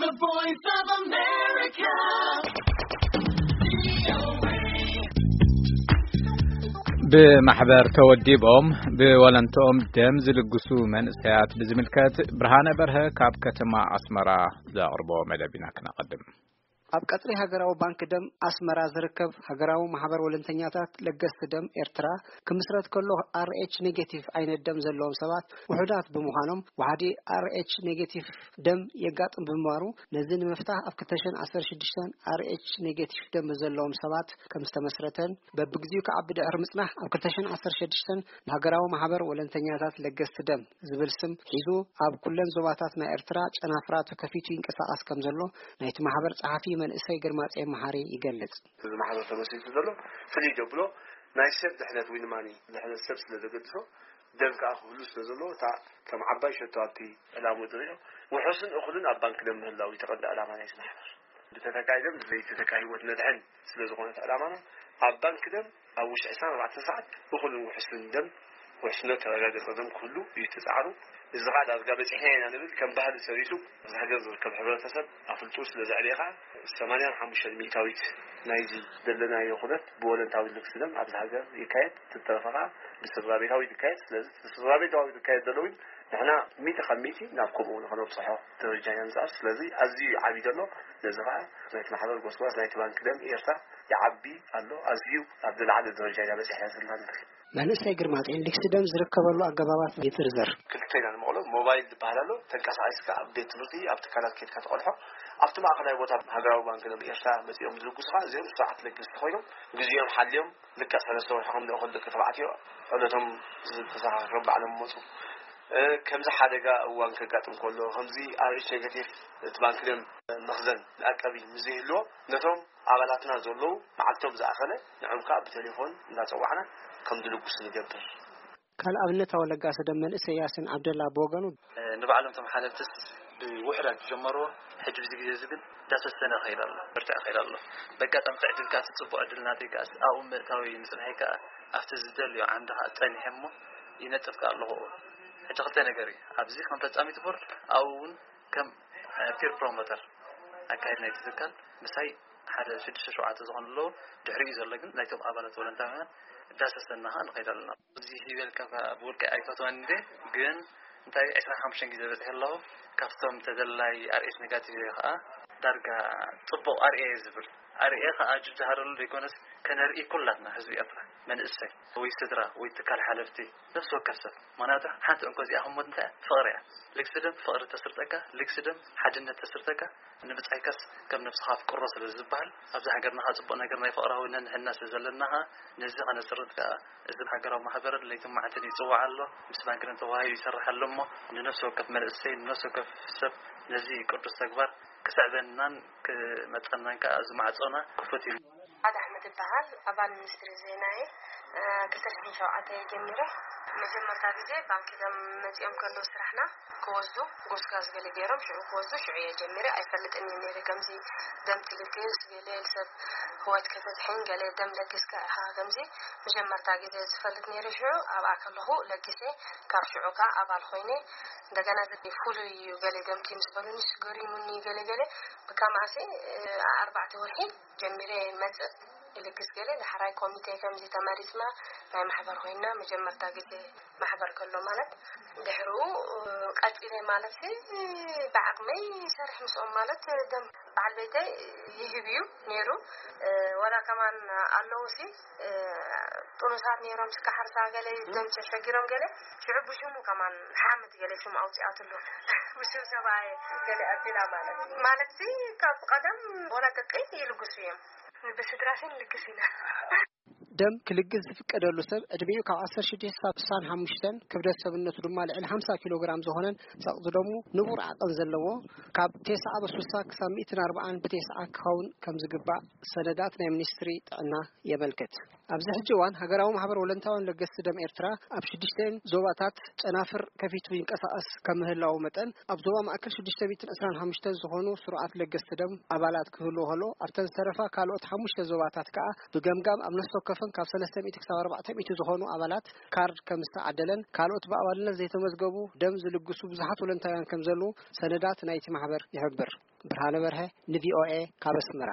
The Voice of America. ብማሕበር ተወዲቦም ብወለንትኦም ደም ዝልግሱ መንእሰያት ብዝምልከት ብርሃነ በርሀ ካብ ከተማ ኣስመራ ዘቕርቦ መደብ ኢና ክነቐድም። ኣብ ቀጽሪ ሃገራዊ ባንክ ደም ኣስመራ ዝርከብ ሃገራዊ ማሕበር ወለንተኛታት ለገስቲ ደም ኤርትራ ክምስረት ከሎ፣ ኣር ኤች ኔጌቲቭ ዓይነት ደም ዘለዎም ሰባት ውሑዳት ብምዃኖም፣ ዋሕዲ ኣር ኤች ኔጌቲቭ ደም የጋጥም ብምንባሩ፣ ነዚ ንምፍታሕ ኣብ ክልተ ሽሕን ዓሰርተ ሽዱሽተን ኣር ኤች ኔጌቲቭ ደም ዘለዎም ሰባት ከም ዝተመስረተን፣ በብግዚኡ ክዓቢ ድሕሪ ምጽናሕ፣ ኣብ ክልተ ሽሕን ዓሰርተ ሽዱሽተን ንሃገራዊ ማሕበር ወለንተኛታት ለገስቲ ደም ዝብል ስም ሒዙ፣ ኣብ ኩለን ዞባታት ናይ ኤርትራ ጨናፍራ ተከፊቱ ይንቀሳቐስ ከም ዘሎ ናይቲ ማሕበር ጸሓፊ መንእሰይ ግርማጼ መሓሪ ይገልጽ። እዚ ማሕበር ተመስሪቱ ዘሎ ፍልይ ዘብሎ ናይ ሰብ ድሕነት ወይ ድማ ድሕነት ሰብ ስለ ዘገድሶ፣ ደም ከዓ ክህሉ ስለ ዘለዎ፣ እታ ከም ዓባይ ሸቶ ኣብቲ ዕላምኡ ዝሪኦ ውሑስን እኹልን ኣብ ባንክ ደም ምህላው እዩ እቲ ቀንዲ ዕላማ ናይቲ ማሕበር። ብተተካኢ ደም ብዘይተተካ ህይወት ነድሕን ስለ ዝኾነት ዕላማና፣ ኣብ ባንክ ደም ኣብ ውሽጢ ዕስራን ኣርባዕተን ሰዓት እኹልን ውሑስን ደም፣ ውሕስነት ተረጋገጸ ደም ክህሉ እዩ እቲ ጻዕሩ። እዚ ከዓ ዳርጋ በጺሕና ኢና ንብል፣ ከም ባህሊ ሰሪቱ ኣብዚ ሃገር ዝርከብ ሕብረተሰብ ኣፍልጡ ስለ ዘዕበየ ከዓ፣ ሰማንያን ሓሙሽተን ሚእታዊት ናይዚ ዘለናዮ ኩነት ብወለንታዊ ልግሲ ደም ኣብዚ ሃገር ይካየድ፣ ትተረፈ ከዓ ብስድራ ቤታዊ ይካየድ። ስለዚ ስድራ ቤታዊ ዝካየድ ዘሎ እውን ንሕና ሚእቲ ካብ ሚእቲ ናብ ከምኡ ንኸነብጽሖ ደረጃ ኢና ንጽዕር። ስለዚ ኣዝዩ ይዓቢ ዘሎ። ነዚ ከዓ ናይቲ ማሕበር ጎስጓስ ናይቲ ባንክ ደም ኤርትራ ይዓቢ ኣሎ። ኣዝዩ ኣብ ዝለዓለ ደረጃ ኢና በጺሕና ዘለና ንብል። መንእሰይ ግርማጤን ልግሲ ደም ዝርከበሉ ኣገባባት ይዝርዝር። ክልተ ኢና ንመቕሎ። ሞባይል ዝበሃል ኣሎ፣ ተንቀሳቒስካ ኣብ ቤት ትምህርቲ፣ ኣብ ትካላት ኬድካ ትቐድሖ። ኣብቲ ማእኸላይ ቦታ ሃገራዊ ባንክ ደም ኤርትራ መጺኦም ዝልግሱኻ፣ እዚኦም ስርዓት ለገስቲ ኮይኖም ግዜኦም ሓልዮም ልክዕ ሰለስተ ወርሒ ከም ልእኹ ደቂ ተባዕትዮ ዕለቶም ዝተዘኻኸሮም ባዕሎም መጹ። እ፣ ከምዚ ሓደጋ እዋን ከጋጥም ከሎ፣ ከምዚ ኣር ኤች ኔጋቲቭ እቲ ባንክ ደም መኽዘን መዕቀቢ ምስ ዘይህልዎ፣ ነቶም ኣባላትና ዘለዉ መዓልቶም ዝኣኸለ ንዖም ከኣ ብቴሌፎን እንዳጸዋዕና ከም ዝልግሱ ንገብር። ካልእ ኣብነታዊ ለጋሲ ደም መንእሰይ ያሲን ዓብደላ ብወገኑ፣ እ፣ ንባዕሎም እቶም ሓለፍትስ ብውሑዳት ዝጀመርዎ፣ ሕጂ ብዚ ግዜ እዚ ግን እንዳሰሰነ ይኸይድ ኣሎ፣ በርትዕ ይኸይድ ኣሎ። በጋጣሚ እቲ ዕድል ከኣ፣ እቲ ጽቡቕ ዕድል ናተይ ከኣ ኣብኡ ምእታው እዩ፣ ምጽንሐይ ከኣ ኣብቲ ዝደልዮ ዓንዲ ከኣ ጸኒሐ እሞ ይነጥፍ ከኣ ኣለኹ። ሕጂ ክልተ ነገር እዩ። ኣብዚ ከም ፈጻሚት ቦርድ፣ ኣብኡ እውን ከም፣ እ፣ ፒር ፕሮሞተር ኣካየድ ናይቲ ትካል ምሳይ ሓደ ሽዱሽተ ሸውዓተ ዝኾኑ ኣለዉ። ድሕሪኡ ዘሎ ግን ናይቶም ኣባላት ቮለንታውያን እንዳሰሰና ከኣ ንኸይድ ኣለና። እዚ ዝበልካ ከኣ ብውልቀይ ኣይፈትወን እንዴ፣ ግን እንታይ ዕስራን ሓሙሽተን ግዜ በጺሐ ኣለኹ። ካብቶም ተደላይ ኣር ኤች ኔጋቲቭ እየ ከኣ ዳርጋ ጽቡቕ ኣርእየ እየ ዝብል። ኣርእየ ከኣ ጅብዝሃረሉ ዘይኮነስ ከነርኢ ኩላትና ህዝቢ ኤርትራ፣ መንእሰይ ወይ ስድራ ወይ ትካል ሓለፍቲ፣ ነፍሲ ወከፍ ሰብ። ምኽንያቱ ሓንቲ እንኮ እዚኣ ክሞት እንታይ እያ? ፍቕሪ እያ። ልግሲ ደም ፍቕሪ ተስርጸካ፣ ልግሲ ደም ሓድነት ተስርጸካ፣ ንብጻይካስ ከም ነብስኻ ኣፍቅሮ ስለ ዝበሃል፣ ኣብዚ ሃገርና ከኣ ጽቡቕ ነገር ናይ ፍቕራዊ ነንሕና ስለ ዘለና ከኣ፣ ነዚ ከነስርት ከኣ እዚ ሃገራዊ ማሕበር ለይትን መዓልትን ይጽዋዕ ኣሎ። ምስ ባንክን ተዋሂዱ ይሰርሕ ኣሎ እሞ፣ ንነፍሲ ወከፍ መንእሰይ፣ ንነፍሲ ወከፍ ሰብ ነዚ ቅዱስ ተግባር ክስዕበናን ክመጸናን ከኣ እዚ ማዕጾና ክፉት እዩ። ኣደ ኣሕመድ እበሃል፣ ኣባል ሚኒስትሪ ዜና እየ። እ፣ ክልተ ሽሕን ሸውዓተ እየ ጀሚረ። መጀመርታ ግዜ ባንክ ደም መጺኦም ከለዉ ስራሕና ክወስዱ፣ ጎስጋስ ገለ ገይሮም ሽዑ ክወስዱ፣ ሽዑ እየ ጀሚረ። ኣይፈልጥን እየ ነይረ ከምዚ ደም ትልግስ፣ ገለ ሰብ ህይወት ከተድሕን፣ ገለ ደም ለጊስካ ኢኻ ከምዚ መጀመርታ ግዜ ዝፈልጥ ነይረ። ሽዑ ኣብኣ ከለኹ ለጊሰ፣ ካብ ሽዑ ከኣ ኣባል ኮይነ። እንደገና ፍሉይ እዩ ገለ ደምኪ ምስ በሉኒ፣ ገሪሙኒ ገለ ገለ። ብከማሲ፣ እ፣ ኣርባዕተ ወርሒ ጀሚረ ይመጽእ፣ ይልግስ ገለ። ዳሕራይ ኮሚቴ ከምዚ ተመሪጽና፣ ናይ ማሕበር ኮይንና፣ መጀመርታ ግዜ ማሕበር ከሎ ማለት። ድሕሩ ቀጺለ ማለትሲ፣ ብዓቕመይ ይሰርሕ ምስኦም ማለት፣ ደም በዓል ቤተይ ይህብ እዩ ነይሩ። ወላ ከማን ኣለዉሲ፣ ጥኑሳት ነይሮም፣ ስካ ሓርሳ ገለ፣ ደም ተሸጊሮም ገለ፣ ሽዑ ብሽሙ ከማን ሓምድ ገለ ሽሙ ኣውጺኣትሉ። ብሽም ሰብኣይ ገለ ኣቢላ ማለት። ማለትሲ ካብ ቀደም ወላ ደቀይ ይልግሱ እዮም። ብስድራሽን ልግስ ኢና። ደም ክልግስ ዝፍቀደሉ ሰብ ዕድሚኡ ካብ ዓሰርተ ሽዱሽተ ክሳብ ስሳን ሓሙሽተን፣ ክብደት ሰብነቱ ድማ ልዕሊ ሓምሳ ኪሎ ግራም ዝኾነን ጸቕጢ ደሙ ንቡር ዓቐን ዘለዎ፣ ካብ ተስዓ ብስሳ ክሳብ ሚእትን ኣርባዓን ብተስዓ ክኸውን ከም ዝግባእ ሰነዳት ናይ ሚኒስትሪ ጥዕና የመልክት። ኣብዚ ሕጂ እዋን ሃገራዊ ማሕበር ወለንታውያን ለገስቲ ደም ኤርትራ ኣብ ሽዱሽተ ዞባታት ጨናፍር ከፊቱ ይንቀሳቐስ ከም ምህላው መጠን፣ ኣብ ዞባ ማእከል ሽዱሽተ ሚእትን ዕስራን ሓሙሽተን ዝኾኑ ስሩዓት ለገስቲ ደም ኣባላት ክህልዎ ከሎ፣ ኣብተን ዝተረፋ ካልኦት ሓሙሽተ ዞባታት ከኣ ብገምጋም ኣብ ነፍሲ ወከፈን ካብ ሰለስተ ሚእቲ ክሳብ ኣርባዕተ ሚእቲ ዝኾኑ ኣባላት ካርድ ከም ዝተዓደለን፣ ካልኦት ብኣባልነት ዘይተመዝገቡ ደም ዝልግሱ ብዙሓት ወለንታውያን ከም ዘለዉ ሰነዳት ናይቲ ማሕበር ይሕብር። ብርሃነ በርሀ፣ ንቪኦኤ፣ ካብ ኣስመራ።